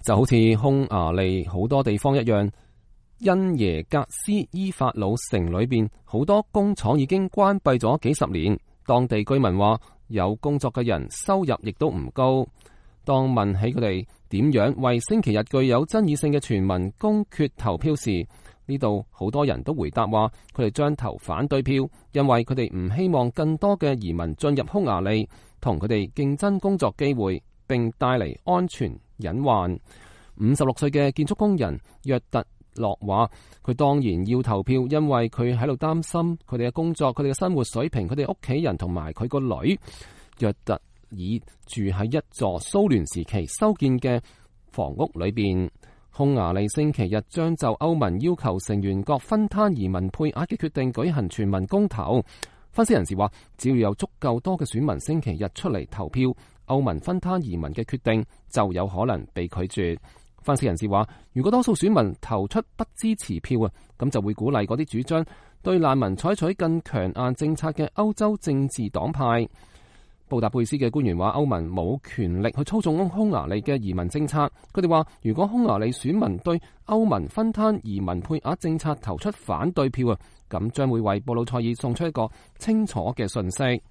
就好似匈牙利好多地方一樣，因耶格斯伊法魯城裏邊好多工廠已經關閉咗幾十年。當地居民話，有工作嘅人收入亦都唔高。當問起佢哋點樣為星期日具有爭議性嘅全民公決投票時，呢度好多人都回答話，佢哋將投反對票，因為佢哋唔希望更多嘅移民進入匈牙利，同佢哋競爭工作機會，並帶嚟安全隱患。56歲嘅建築工人約特洛話，佢當然要投票，因為佢喺度擔心佢哋嘅工作、佢哋嘅生活水平、佢哋屋企人同埋佢個女。約特爾住喺一座蘇聯時期修建嘅房屋裏邊。匈牙利星期日將就歐盟要求成員國分攤移民配額嘅決定舉行全民公投。分析人士話，只要有足夠多嘅選民星期日出嚟投票，歐盟分攤移民嘅決定就有可能被拒絕。分析人士話，如果多數選民投出不支持票啊，咁就會鼓勵嗰啲主張對難民採取更強硬政策嘅歐洲政治黨派。布達佩斯嘅官員話，歐盟冇權力去操縱匈牙利嘅移民政策。佢哋話，如果匈牙利選民對歐盟分攤移民配額政策投出反對票啊，咁將會為布魯塞爾送出一個清楚嘅訊息。